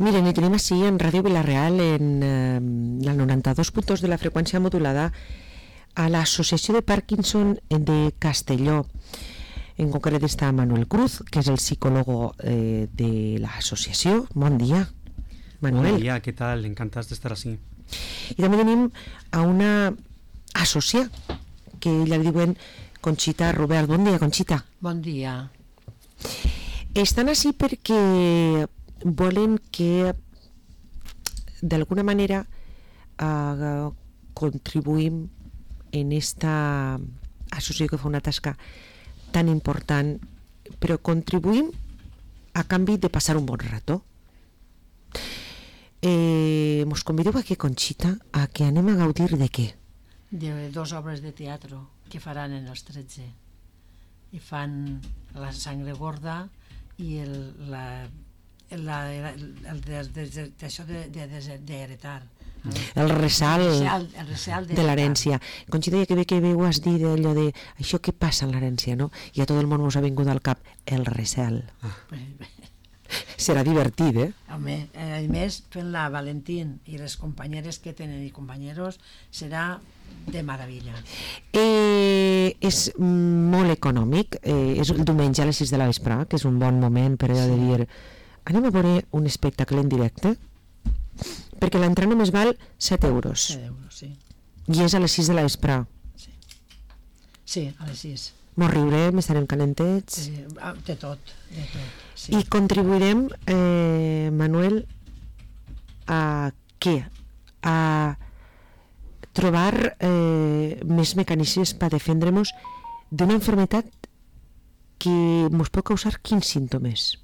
Miren, i tenim així en Ràdio Vila-real en la 92.2 de la freqüència modulada a l'Associació de Parkinson de Castelló. En concret està Manuel Cruz, que és el psicòlogo de l'associació. Bon dia, Manuel. Bon dia, què tal? Encantats d'estar així. I també tenim a una assòcia, que ella li diuen Conxita Robert. Bon dia, Conxita. Bon dia. Estan així perquè volen que d'alguna manera contribuïm en esta associació que fa una tasca tan important, però contribuïm a canvi de passar un bon rato. Mos convideu aquí, Conxita, a que anem a gaudir de què? De 2 obres de teatre que faran en els 13. I fan La sangre gorda i això d'heretar. El ressalt de l'herència. Conxita, ja que bé que ho has dit allò de això que passa en l'herència, no? I a tot el món us ha vingut al cap el ressalt. Serà divertit, Home, a més, fent la Valentín i les companyeres que tenen i companyeros serà de meravella. És molt econòmic, és el diumenge a les 6 de la vespre, que és un bon moment per allò de dir anem a veure un espectacle en directe, perquè l'entrada només val 7 euros. 7 euros, sí. I és a les 6 de la vespre. Sí, a les 6. Mos riurem, estarem calentets. De tot, sí. I contribuirem, Manuel, a què? A trobar més mecanismes per defendre-nos d'una enfermedad que nos puede causar quins síntomas.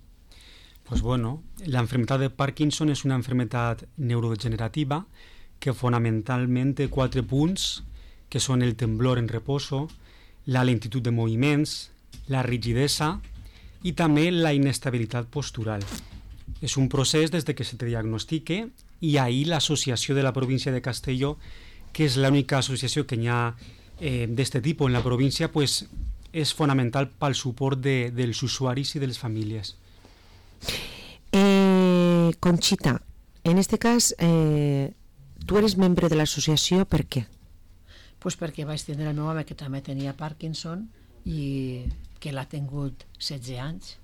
Pues bueno, la enfermedad de Parkinson es una enfermedad neurodegenerativa que fonamentalmente 4 punts, que són el temblor en reposo, la lentitud de moviments, la rigidesa i també la inestabilitat postural. És un procés des de que se te diagnostique i ahir l'associació de la província de Castelló, que és l'única associació que hi ha d'aquest tipus en la província, pues, és fonamental pel suport dels usuaris i de les famílies. Conxita, en este cas tu eres membre de l'associació, per què? Pues perquè vaig tenir el meu home que també tenia Parkinson i que l'ha tingut 16 anys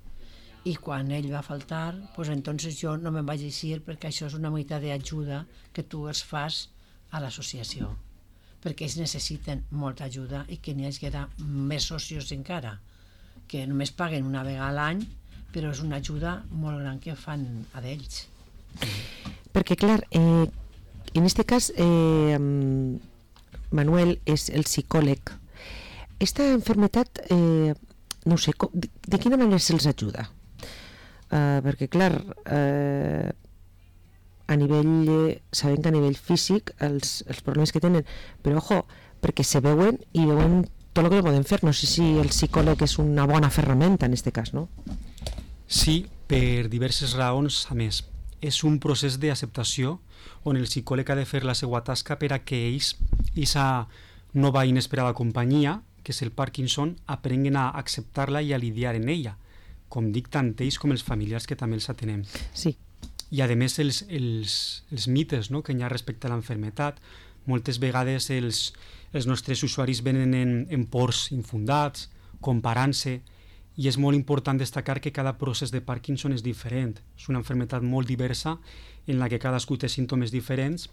i quan ell va faltar, pues entonces jo no me'n vaig eixir perquè això és una mica d'ajuda que tu els fas a l'associació, perquè ells necessiten molta ajuda i que n'hi hagi més socios encara, que només paguen una vegada a l'any, però és una ajuda molt gran que fan a d'ells. Perquè clar, en este cas Manuel és el psicòleg. Esta enfermedad, no sé, de quina manera se'ls ajuda? Perquè clar, a nivell, sabem que a nivell físic els problemes que tenen, però ojo, perquè se veuen i veuen tot el que no poden fer. No sé si el psicòleg és una bona ferramenta en aquest cas, no? Sí, per diverses raons. A més, és un procés d'acceptació on el psicòleg ha de fer la seva tasca per a que ells, aquesta nova inesperada companyia, que és el Parkinson, aprenguen a acceptar-la i a lidiar en ella, com dic, tant ells com els familiars que també els atenem. Sí. I a més els mites, no?, que hi ha respecte a l'enfermedad. Moltes vegades els nostres usuaris venen en pors infundats, comparant-se, i és molt important destacar que cada procés de Parkinson és diferent. És una enfermedad molt diversa en la que cadascú té símptomes diferents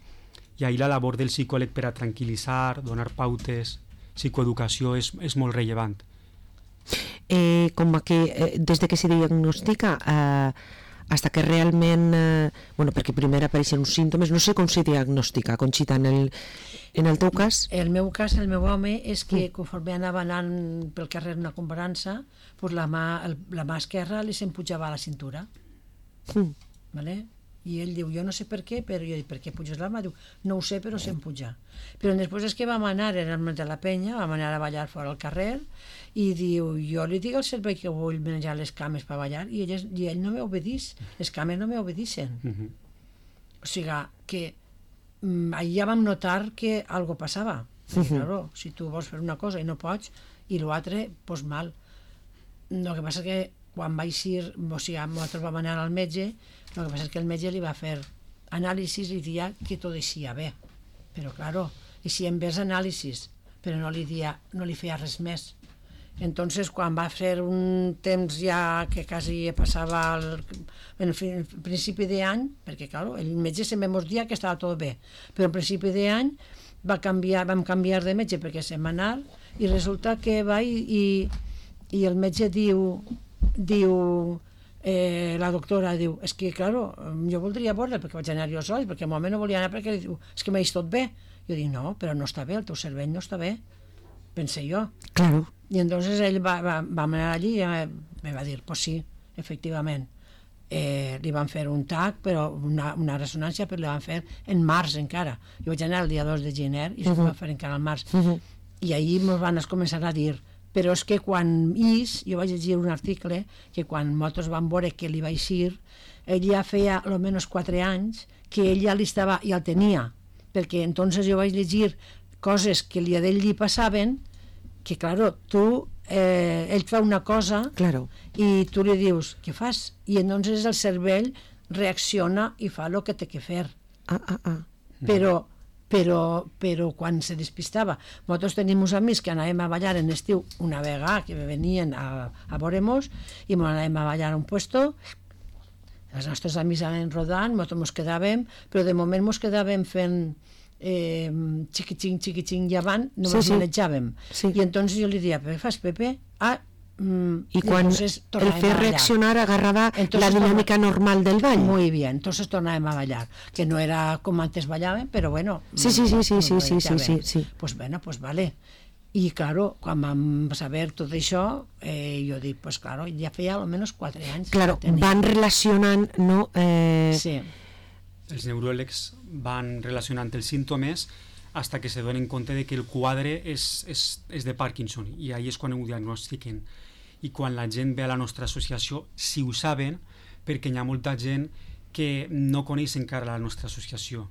i ahir la labor del psicòleg per a tranquil·litzar, donar pautes, psicoeducació és molt rellevant. Com que des de que se diagnostica hasta que realment, perquè primer apareixen uns símptomes, no sé com se diagnostica, Conxita, en el teu cas? El meu cas, el meu home, és que conforme anava anant pel carrer una comparança, pues la mà esquerra li s'empujava a la cintura. Vale? I ell diu, jo no sé per què, però jo dic, per què puges la mà? Diu, no ho sé, però s'empuja. Però després és que vam anar, era el mes de la penya, vam anar a ballar fora al carrer, i diu, jo li dic al cervell que vull menjar les cames per ballar, i ell no m'obedeix, les cames no m'obedeixen. O sigui, que ahir ja vam notar que algo passava. Claro, si tu vols fer una cosa i no pots, i l'altre, pues mal. El que passa és que quan va eixir, o sigui, nosaltres vam anar al metge, el que passa és que el metge li va fer anàlisis i dia que tot eixia bé, però claro, eixien bé els anàlisis, però no li feia res més. Entonces, quan va fer un temps ja que quasi passava en principi d'any, perquè claro, el metge sempre ens dia que estava tot bé, però en principi d'any vam canviar de metge perquè setmanal, i resulta que va i el metge diu la doctora diu, és que claro, jo voldria veure perquè vaig anar jo sol, perquè al moment no volia anar perquè diu, és que m'eix tot bé. Jo dic, no, però no està bé, el teu cervell no està bé, pensé jo. Claro. I entonces ell va anar allí i me va dir, pues sí, efectivament. Li van fer un TAC, però una ressonància, però li van fer en març encara. Jo vaig anar el dia 2 de gener i se va fer encara al març. I ahir ens van començar a dir, però és que quan jo vaig llegir un article que quan nosaltres vam veure que li va eixir, ell ja feia almenys 4 anys que ell ja el tenia, perquè entonces jo vaig llegir coses que a ell li passaven, que claro, ell fa una cosa i tu li dius, què fas? I entonces el cervell reacciona i fa el que té que fer. Però quan se despistava, nosaltres tenim uns amics que anàvem a ballar en estiu una vegada, que venien a veure-mos i anàvem a ballar a un puesto, els nostres amics anaven rodant, nosaltres ens quedàvem, però de moment ens quedàvem fent xiquiching llevant, només manejàvem. I entonces jo li deia, què fas, Pepe? Y cuando el fer reaccionar agarraba la dinámica normal del ball. Muy bien, entonces tornábamos a bailar, que no era como antes bailaban, pero bueno. Sí. Pues bueno, pues vale. I claro, quan vam saber tot això, jo dic, pues claro, ja feia almenys 4 anys. Claro, van relacionant, no? Sí. Els neuròlegs van relacionant els símptomes hasta que se donen compte de que el quadre és de Parkinson, i ahí és quan ho diagnostiquen. I quan la gent ve a la nostra associació, si ho saben, perquè hi ha molta gent que no coneix encara la nostra associació.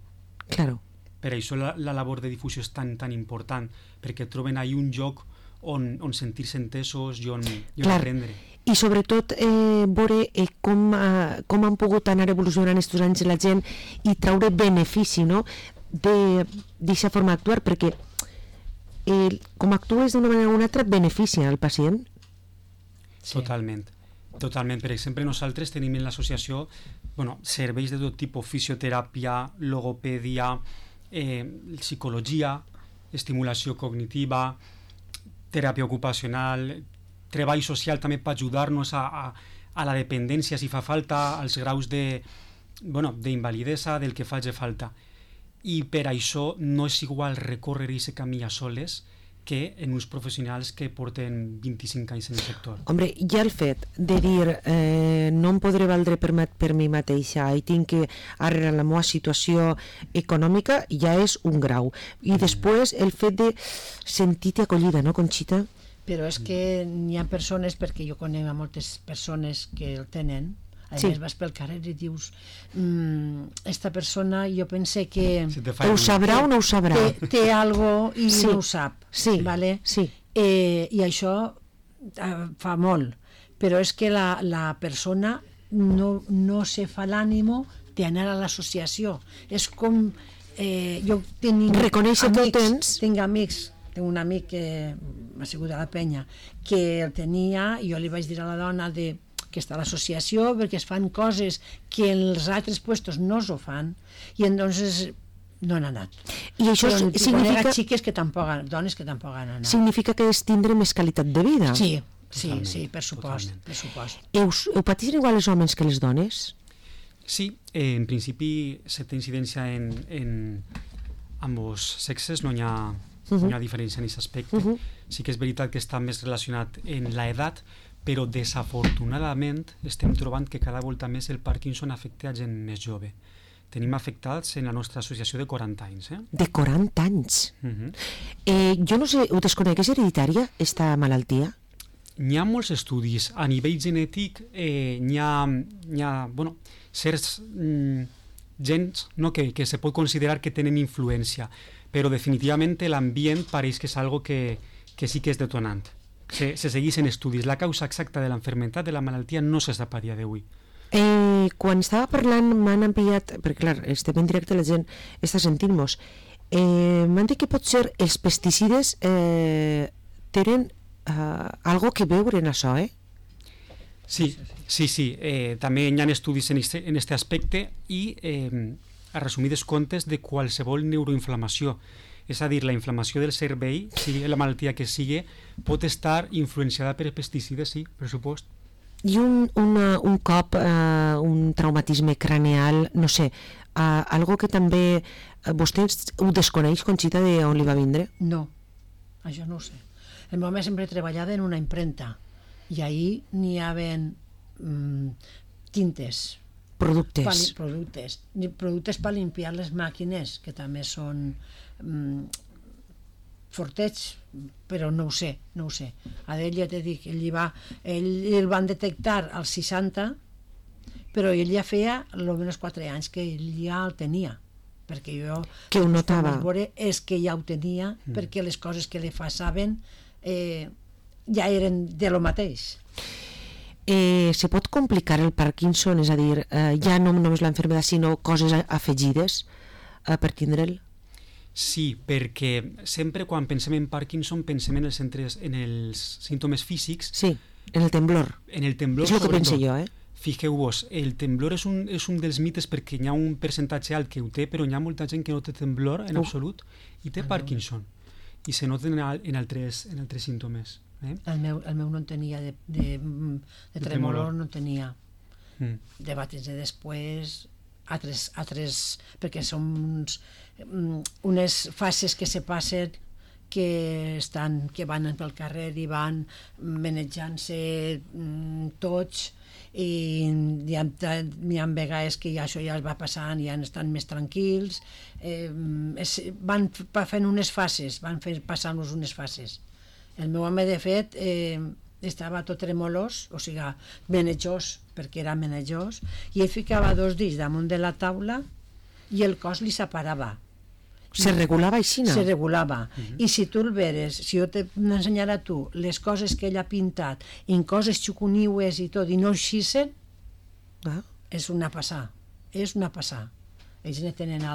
Claro. Per això la labor de difusió és tan important, perquè troben ahí un lloc on sentir-se entesos i on aprendre. I sobretot veure com han pogut anar evolucionant aquests anys la gent i traure benefici, no?, d'aquesta forma d'actuar, perquè com actues d'una manera o una altra beneficia al pacient. Totalment. Per exemple, nosaltres tenim en l'associació serveis de tot tipus, fisioteràpia, logopèdia, psicologia, estimulació cognitiva, teràpia ocupacional, treball social també per ajudar-nos a la dependència si fa falta, als graus d'invalidesa, del que faci falta. I per això no és igual recórrer aquest camí a soles que en uns professionals que porten 25 anys en el sector. Hombre, ja el fet de dir no em podré valdre per mi mateixa i tinc que arreglar la meva situació econòmica ja és un grau. I després el fet de sentir-te acollida, no, Conxita? Però és que hi ha persones, perquè jo conec a moltes persones que el tenen, a més vas pel carrer i dius esta persona jo pense que ho sabrà o no ho sabrà, té algo i no ho sap, vale? I això fa molt, però és que la persona no se fa l'ànimo d'anar a l'associació. És com jo tinc amics, tinc un amic que m'ha sigut a la penya que el tenia i jo li vaig dir a la dona que està a l'associació perquè es fan coses que en els altres puestos no s'ho fan i entonces no han anat. I això significa xiques que tampoc, dones que tampoc han anat. Significa que és tindre més qualitat de vida. Sí, per supost. Ho pateixen igual els homes que les dones? Sí, en principi certa incidència en ambos sexes, no hi ha diferència en aquest aspecte. Sí que és veritat que està més relacionat en l'edat, però desafortunadament estem trobant que cada volta més el Parkinson afecta a gent més jove. Tenim afectats en la nostra associació de 40 anys. De 40 anys? Jo no sé, ho desconec, és hereditària, esta malaltia? N'hi ha molts estudis. A nivell genètic n'hi ha certs gens que se pot considerar que tenen influència, però definitivament l'ambient pareix que és algo que sí que és detonant. se segueixen estudis. La causa exacta de l'enfermetat, de la malaltia, no se sap a dia d'avui. Quan estava parlant m'han enviat, perquè clar, estem en directe, la gent està sentint-nos, m'han dit que potser els pesticides tenen algo que veure en això, Sí. També hi ha estudis en aquest aspecte i, a resumides comptes, de qualsevol neuroinflamació. És a dir, la inflamació del cervell, sigui la malaltia que sigui, pot estar influenciada per pesticides, sí, per supost. I un cop, un traumatisme craneal, no sé, algo que també vostè ho desconeix, Conxita, d'on li va vindre? No, això no ho sé. El meu home sempre treballava en una impremta i ahir n'hi havia tintes, productes per limpiar les màquines, que també són fortets, però no ho sé. A ell ja t'he dit, ell el van detectar als 60, però ell ja feia almenys 4 anys que ell ja el tenia, perquè jo que ho notava. És que ja ho tenia, perquè les coses que li passaven ja eren de lo mateix. Se pot complicar el Parkinson, és a dir, ja no només l'enfermedad, sinó coses afegides per tindre'l? Sí, perquè sempre quan pensem en Parkinson pensem en els símptomes físics. Sí, en el temblor. En el temblor, és el que penso jo, Fixeu-vos, el temblor és un dels mites perquè hi ha un percentatge alt que ho té, però hi ha molta gent que no té temblor en absolut i té Parkinson. I se nota en altres símptomes. El meu no en tenia de tremolor, no en tenia. De bates de després, altres perquè són unes fases que se passen que van pel carrer i van manejant-se tots, i hi ha vegades que això ja es va passant i ja estan més tranquils, van fent unes fases, van passant-nos unes fases. El meu home, de fet, estava tot tremolós, o sigui, menejós, perquè era menejós, i ell ficava 2 dits damunt de la taula i el cos li separava. Se regulava així, no? Se regulava. I si tu el veres, si jo t'ensenyara a tu les coses que ell ha pintat, en coses xucuniues i tot, i no eixissen, és una passà. És una passà. Ells ne tenen a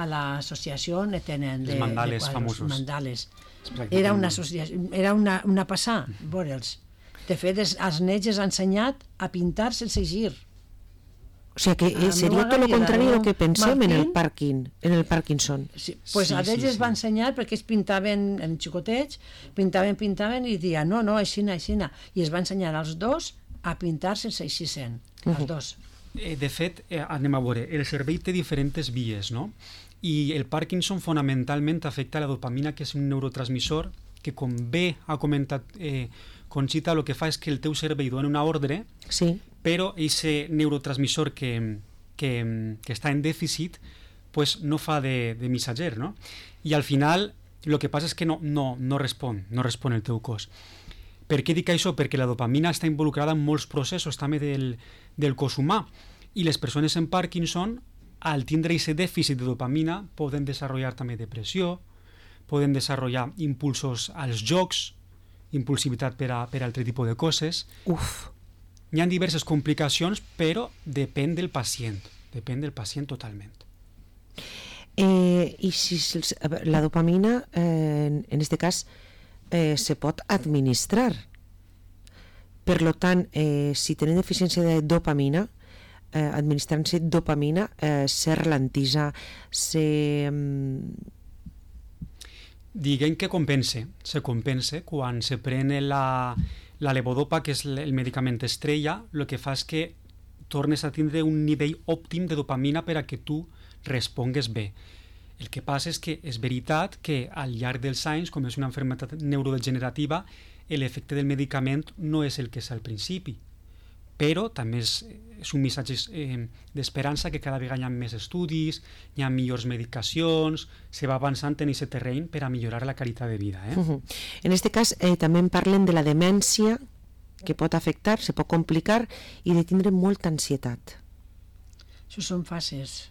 l'associació, ne tenen els mandales famosos. Mandales. Era una passà, veure'ls. De fet, als nens els ha ensenyat a pintar sense gir. O sigui que seria tot el contrari del que pensem en el Parkinson. Pues a ells es va ensenyar perquè ells pintaven en xicotets, pintaven i deien no, aixina. I es va ensenyar als dos a pintar sense eixissen, els dos. De fet, anem a veure, el cervell té diferents vies, no? I el Parkinson fonamentalment afecta la dopamina, que és un neurotransmissor que, com bé ha comentat Conxita, el que fa és que el teu cervell dona una ordre, però aquest neurotransmissor que està en dèficit pues no fa de missatger, no? I al final el que passa és que no respon el teu cos. Per què dic això? Perquè la dopamina està involucrada en molts processos també del cos humà, i les persones amb Parkinson, al tindre aquest dèficit de dopamina, poden desenvolupar també depressió, poden desenvolupar impulsos als jocs, impulsivitat per a altre tipus de coses. Hi ha diverses complicacions, però depèn del pacient totalment. I si la dopamina, en aquest cas, se pot administrar. Per tant, si tenen deficiència de dopamina, administrant-se dopamina, se ralentitza, Diguem que se compensa quan se pren la levodopa, que és el medicament estrella. El que fa és que tornes a tindre un nivell òptim de dopamina per a que tu respongues bé. El que passa és que és veritat que al llarg dels anys, com és una malaltia neurodegenerativa, l'efecte del medicament no és el que és al principi, però també és un missatge d'esperança, que cada vegada hi ha més estudis, hi ha millors medicacions, se va avançant en aquest terreny per a millorar la qualitat de vida. En aquest cas també en parlen de la demència, que pot afectar, se pot complicar, i de tindre molta ansietat. Això són fases.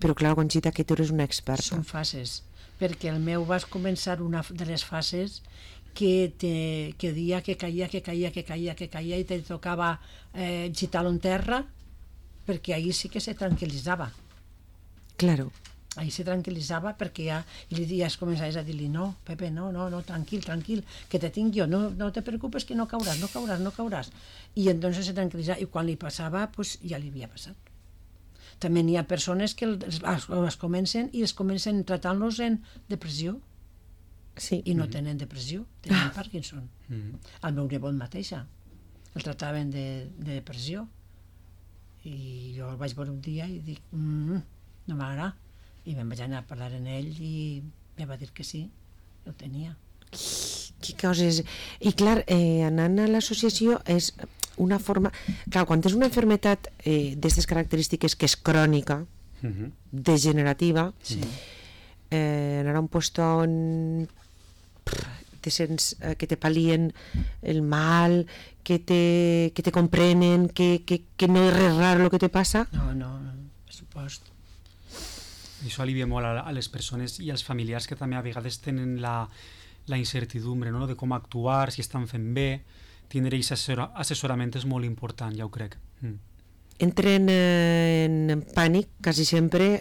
Però clar, Conxita, que tu eres una experta. Són fases, perquè el meu va començar una de les fases que dia que caia i te tocava gitar-lo en terra, perquè ahir sí que se tranquil·litzava. Claro. Ahí se tranquil·litzava perquè ja es començaves a dir-li no, Pepe, no, tranquil, que te tinc jo, no te preocupes que no cauràs. I entonces se tranquil·litzava, i quan li passava, pues ja li havia passat. També n'hi ha persones que els comencen tratant-los en depressió, sí. I no tenen depressió, tenen Parkinson. El meu nebot mateixa el tractaven de depressió, i jo el vaig veure un dia i dic no m'agrada, i me'n vaig anar a parlar amb ell i em va dir que sí, ho tenia. Que coses... I clar, anant a l'associació és una forma... Clar, quan és una malaltia d'aquestes característiques que és crònica, degenerativa, anar a un lloc on te sents que te palien el mal, que te comprenen, que no és res raro el que te passa. No, per supost. Això alivia molt a les persones i als familiars que també a vegades tenen la incertidumbre, no? De com actuar, si estan fent bé. Tindre aquest assessorament és molt important, ja ho crec. Entren en pànic quasi sempre.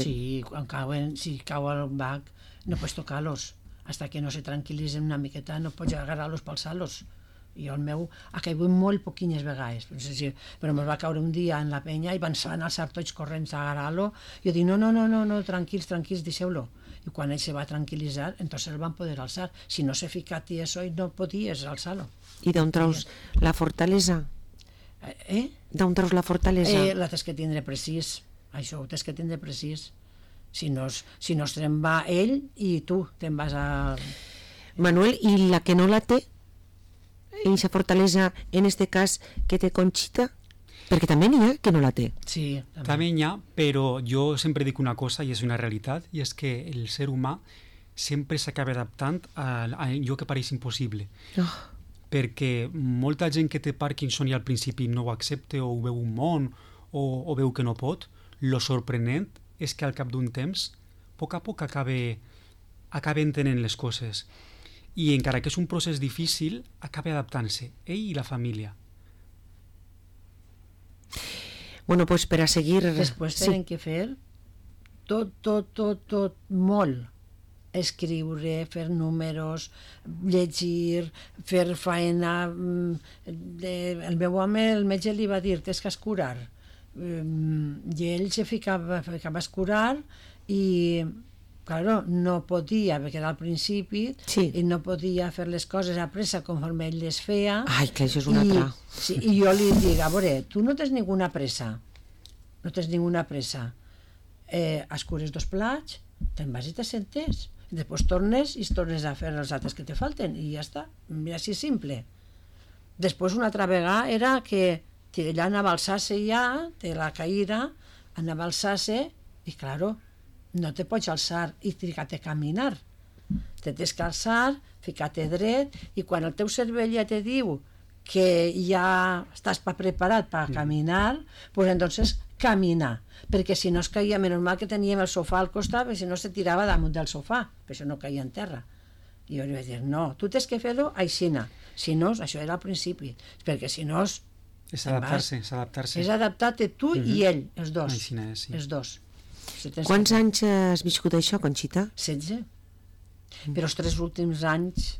Sí, si cau al bac no pots tocar-los fins que no se tranquil·litzen una miqueta, no pots agarrar-los pels salos. Jo el meu ha caigut molt poquines vegades, però me'l va caure un dia en la penya i van alçar tots corrents a agarrar-lo. Jo dic, no, tranquils, deixeu-lo. I quan ell se va tranquil·litzar, entonces el van poder alçar. Si no s'ha ficat i això, no podies alçar-lo. I d'on treus la fortalesa? D'on treus la fortalesa? La tens que tindre precís, això ho tens que tindre precís. Si no es te'n va ell i tu te'n vas a... Manuel, i la que no la té? Eixa fortalesa, en este cas, que té Conxita? Perquè també n'hi ha que no la té. Sí, també n'hi ha, però jo sempre dic una cosa, i és una realitat, i és que el ser humà sempre s'acaba adaptant a allò que pareix impossible. Perquè molta gent que té Parkinson i al principi no ho accepta o ho veu un món o veu que no pot, lo sorprenent és que al cap d'un temps, a poc acaba entenent les coses. I encara que és un procés difícil, acaba adaptant-se, ell i la família. Bueno, pues per a seguir... Després tenen que fer tot, molt. Escriure, fer números, llegir, fer faena. El meu home, el metge li va dir, tens que escurar. I ell se ficava a escurar i... Claro, no podia, perquè era al principi, i no podia fer les coses a pressa conforme ell les feia. Ai, que això és una altra. Sí, i jo li dic, a veure, tu no tens ninguna pressa. Escures 2 plats, te'n vas i te sentes. Després tornes i tornes a fer els altres que te falten i ja està. Mira, així simple. Després una altra vegada era que ella anava a alçar-se ja, de la caïda, anava a alçar-se i, claro, no te pots alçar i ficar-te a caminar. Te tens que alçar, ficar-te dret, i quan el teu cervell ja te diu que ja estàs preparat per caminar, pues entonces camina, perquè si no es caia, menys mal que teníem el sofà al costat, perquè si no se tirava damunt del sofà, per això no caia en terra. I jo li vaig dir, no, tu tens que fer-ho aixina, si no, això era al principi, perquè si no... És adaptar-se. És adaptar-te tu i ell, els dos. Aixina és, sí. Els dos. Quants anys has viscut això, Conxita? 16. Però els 3 últims anys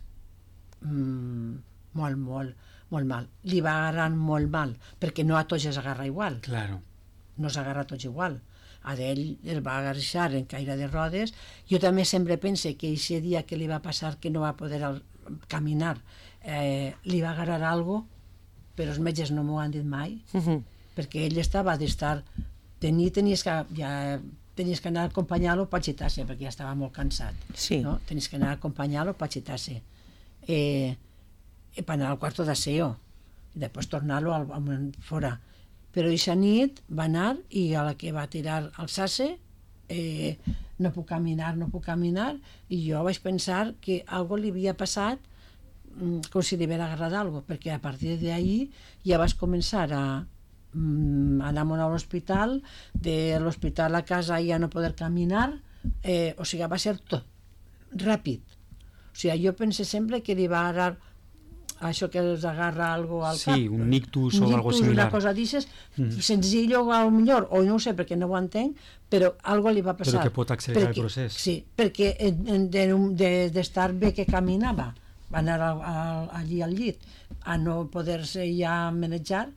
molt mal. Li va agarrar molt mal, perquè no a tots es agarra igual. Claro. No s'agarra a tots igual. A ell el va agarrar en caire de rodes. Jo també sempre pense que aquest dia que li va passar que no va poder caminar li va agarrar alguna cosa, però els metges no m'ho han dit mai, perquè ell estava d'estar... Tenies que anar a acompanyar-lo per gitar-se, perquè ja estava molt cansat. Sí. No? Tenies que anar a acompanyar-lo per gitar-se. Per anar al quarto d'aseo. I després tornar-lo fora. Però aquesta nit va anar i a la que va tirar al alçar-se no puc caminar, i jo vaig pensar que alguna li havia passat com si li hagués agarrat alguna cosa, perquè a partir d'ahir ja vas començar a anar a l'hospital, de l'hospital a casa ja no poder caminar, o sigui, va ser tot ràpid. O O sigui, jo pense sempre que li va agarrar això que els agarra algo al cap. Sí, un ictus o algo similar. Una cosa d'aixes, senzill o millor, o no ho sé perquè no ho entenc, però algo li va passar. Però que pot accelerar el procés. Sí, perquè d'estar bé que caminava, va anar allí al llit, a no poder-se ja manejar,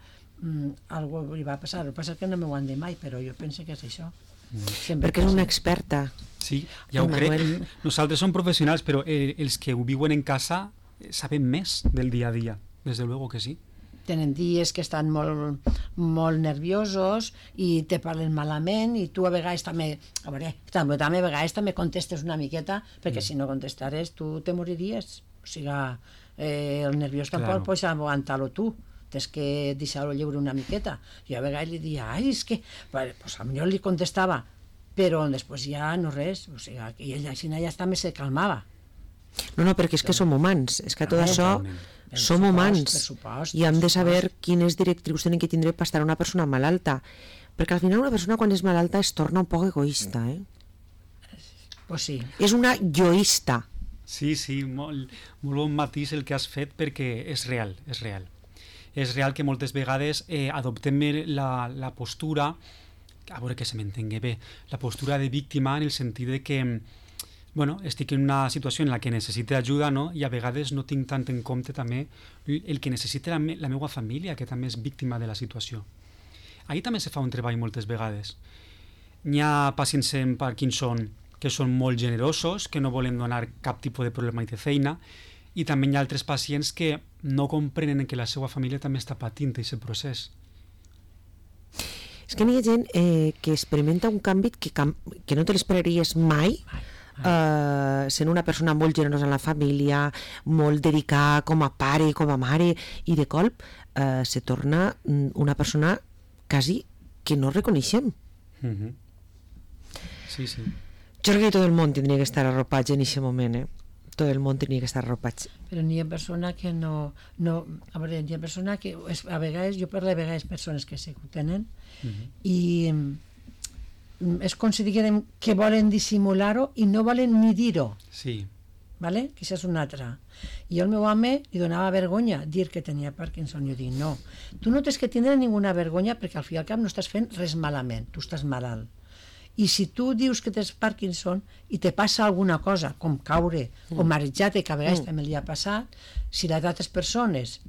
algo li va passar. El que passa és que no m'ho han dit mai, però jo penso que és això. Perquè és una experta. Sí, ja ho crec. Nosaltres som professionals, però els que ho viuen en casa saben més del dia a dia, desde luego que sí. Tenen dies que estan molt nerviosos i te parlen malament i tu a vegades també, a vegades també contestes una miqueta, perquè si no contestares tu te moriries. O sigui, el nerviós tampoc pots aguantar-lo tu, tens que deixar-lo lliure una miqueta. Jo a vegades li diia, és que... Pues a millor li contestava, però després ja no res, o sigui, i ell així ja també se calmava. No, perquè és que som humans, és que tot això som humans i hem de saber quines directrius tenen que tindre per estar una persona malalta, perquè al final una persona quan és malalta es torna un poc egoista, Pues sí. És una yoista. Sí, molt bon matís el que has fet, perquè és real, és real. És real que moltes vegades adoptem la postura, a veure que se m'entengui bé, la postura de víctima en el sentit de que estic en una situació en la que necessite ajuda, no? I a vegades no tinc tant en compte també el que necessita la meva família, que també és víctima de la situació. Ahí també se fa un treball moltes vegades. N'hi ha pacients amb Parkinson que són molt generosos, que no volen donar cap tipus de problema de feina, i també hi ha altres pacients que no comprenen que la seva família també està patint aquest procés. És que n'hi ha gent que experimenta un canvi que no te l'esperaries mai, sent una persona molt generosa en la família, molt dedicada com a pare i com a mare, i de colp se torna una persona quasi que no reconeixem. Sí. Jo crec que tot el món tindria que estar arropats en aquest moment, tot el món tindria que estar arropats. Però n'hi ha persona que no a veure, n'hi ha persona que a vegades, jo parlo de vegades persones que sí que ho tenen, i és com si diguem que volen dissimular-ho i no volen ni dir-ho. Sí. Vale? Que això és una altra. I al meu home li donava vergonya dir que tenia Parkinson. Jo dic, no, tu no tens que tindre ninguna vergonya perquè al fi i al cap no estàs fent res malament, tu estàs malalt. I si tu dius que tens Parkinson i te passa alguna cosa, com caure o marejar-te, que a vegades també li ha passat, si les altres persones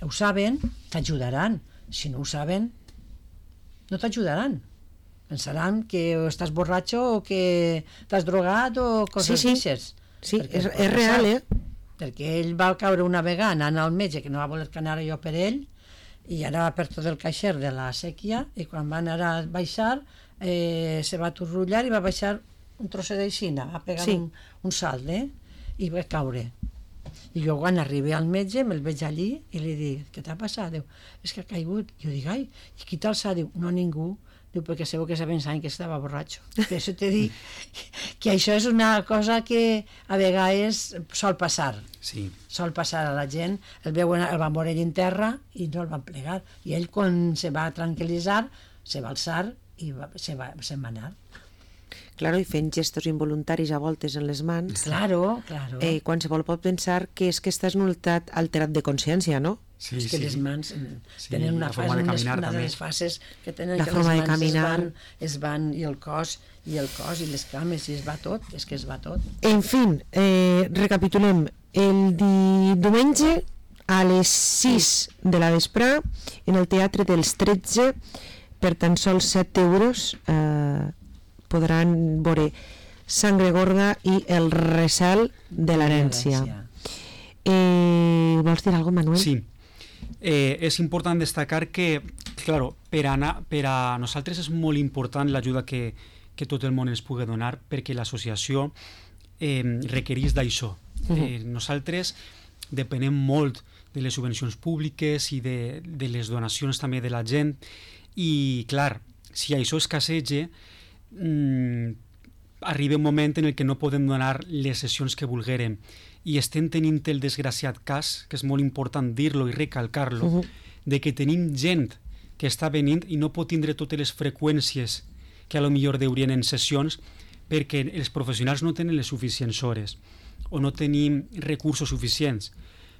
ho saben, t'ajudaran. Si no ho saben, no t'ajudaran. Pensaran que estàs borratxo o que t'has drogat o coses d'aixes. Sí, és real, Perquè ell va caure una vegada anant al metge, que no va voler que anara jo per ell, i anava per tot el caixer de la sèquia, i quan va anar a baixar se va aturrullar i va baixar un trosset d'aixina, va pegar un salt, i va caure. I jo quan arribé al metge me'l veig allí i li dic, què t'ha passat? Diu, és que ha caigut. Jo dic, ai, i qui t'alça? Diu, no ningú. Diu, perquè segur que se pensaven que estava borratxo. Per això t'he dit que això és una cosa que a vegades sol passar. Sí. Sol passar a la gent. El van veure ell en terra i no el van plegar. I ell, quan se va tranquil·litzar, se va alçar i se'n va anar. Claro, i fent gestos involuntaris a voltes en les mans. Claro. Qualsevol pot pensar que és que estàs en un estat alterat de consciència, no? Sí, és que les mans tenen una fase, una de les fases que tenen la que forma les de caminar es van i el cos i les cames, i es va tot, és que es va tot. En fi, recapitulem. El diumenge a les 6 de la vesprà en el Teatre dels 13 per tan sols 7 euros podran veure Sangre Gorda i El recel de l'herència. Vols dir alguna cosa, Manuel? Sí. És important destacar que, claro, per a nosaltres és molt important l'ajuda que tot el món ens pugui donar, perquè l'associació requereix d'això. Nosaltres depenem molt de les subvencions públiques i de les donacions també de la gent, i clar, si això escasseja, arriba un moment en el que no podem donar les sessions que volguérem, i estem tenint el desgraciat cas, que és molt important dir-lo i recalcar-lo, de que tenim gent que està venint i no pot tindre totes les freqüències que a lo millor deurien en sessions perquè els professionals no tenen les suficients hores. o no tenim recursos suficients.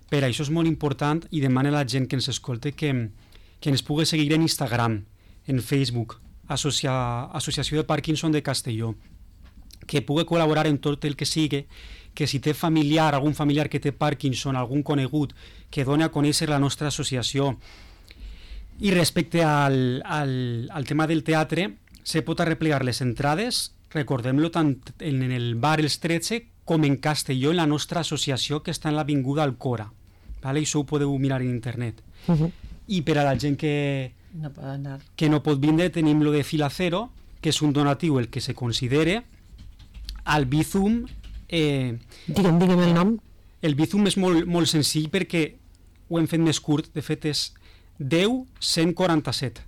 Per això és molt important i demana a la gent que ens escolta que ens pugui seguir en Instagram, en Facebook, Associació de Parkinson de Castelló, que pugui col·laborar en tot el que sigui, que si té familiar, algun familiar que té Parkinson, algun conegut, que doni a conèixer la nostra associació. I respecte al tema del teatre, se pot arreplegar les entrades, recordem-lo tant en el bar Els 13 com en Castelló, en la nostra associació que està en l'avinguda Alcora. Vale? Això ho podeu mirar en internet. I per a la gent que no pot vindre, tenim lo de Fila Cero, que és un donatiu el que se considere. Al Bizum... Digue'm el nom. El Bizum és molt senzill perquè ho hem fet més curt, de fet és 10-147.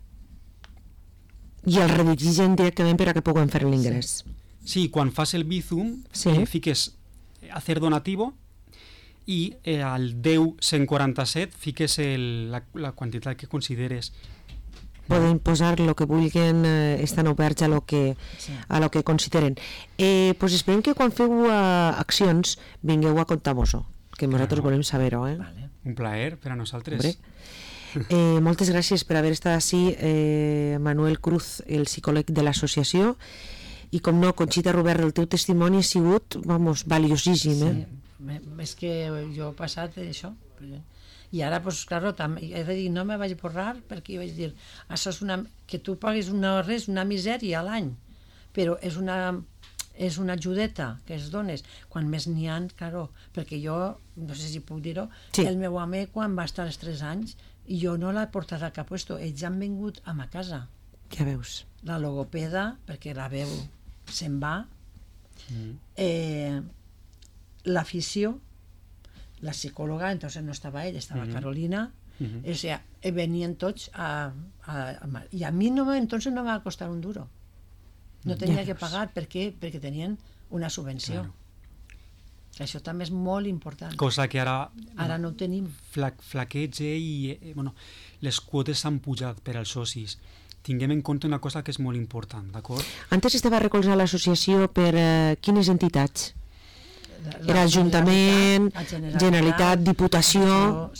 I el redigigen directament per a que puguem fer l'ingrés. Sí, quan fas el Bizum, fiques hacer donativo i al 10-147 fiques la quantitat que consideres. Poden posar el que vulguin, estan oberts a lo que consideren. Pues esperem que quan feu accions vingueu a contar-nos-ho, que nosaltres volem saber-ho. Vale. Un plaer per a nosaltres. Moltes gràcies per haver estat així, Manuel Cruz, el psicòleg de l'associació, i com no, Conxita Robert, el teu testimoni ha sigut, valiosíssim. Sí, és que jo he passat això. I ara, pues, claro, he de dir, no me vaig borrar, perquè vaig dir, això és que tu pagues una misèria a l'any, però és una ajudeta que es dones. Quan més n'hi ha, claro, perquè jo, no sé si puc dir-ho, el meu home, quan va estar els 3 anys, i jo no l'he portat a cap puesto, ells han vingut a ma casa. Ja veus. La logopeda, perquè la veu se'n va, l'afició, la psicòloga, entonces no estava ell, estava Carolina, o sea, venien tots i a mi entonces no me va costar un duro. No tenia que pagar, perquè tenien una subvenció. Això també és molt important. Cosa que ara no ho tenim. Flaqueja i les quotes s'han pujat per als socis. Tinguem en compte una cosa que és molt important, d'acord? Antes estava recolzant l'associació per quines entitats? Era Ajuntament, Generalitat, Diputació...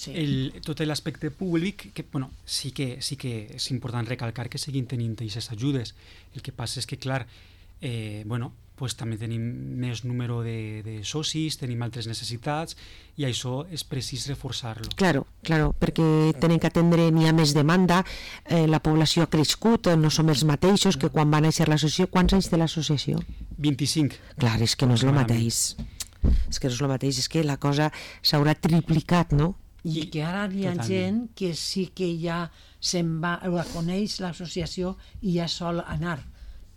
Tot l'aspecte públic, que sí que és important recalcar que seguim tenint aquestes ajudes. El que passa és que, clar, també tenim més número de socis, tenim altres necessitats, i això és precís reforçar-lo. Claro, perquè tenen que atendre, n'hi ha més demanda, la població ha crescut, no som els mateixos que quan va néixer l'associació. Quants anys té l'associació? 25. Clar, és que no és el mateix. És que la cosa s'haurà triplicat, no? I que ara hi ha gent que sí que ja se'n va, la coneix l'associació i ja sol anar,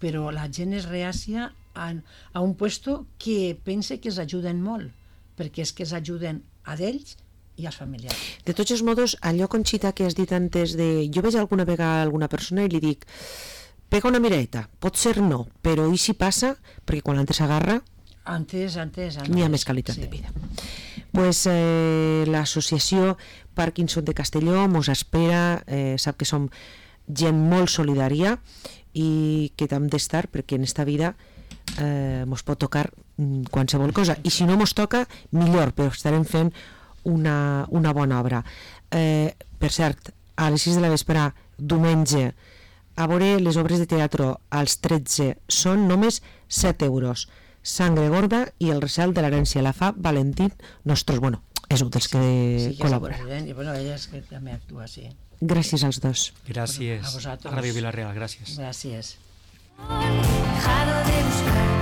però la gent és reàcia a un puesto que pensa que es ajuden molt, perquè és que es ajuden a d'ells i als familiars. De tots els modos, allò, Conxita, que has dit antes de... Jo veig alguna vegada alguna persona i li dic, pega una miradeta, pot ser no, però i si passa, perquè quan l'antes s'agarra... Antes. N'hi ha més qualitat de vida. Pues l'associació Parkinson de Castelló mos espera, sap que som gent molt solidària i que hem d'estar perquè en esta vida mos pot tocar qualsevol cosa, i si no mos toca, millor, però estarem fent una bona obra. Per cert, a les 6 de la vespre, diumenge, a veure les obres de teatre als 13 són només 7 euros. Sangre gorda i el recel de l'herència la fa Valentín Nostros. És un dels que col·labora. I ella és que també actua, sí. Gràcies als dos. Gràcies a Ràdio Vila-real, gràcies. Gràcies. Dejado de buscar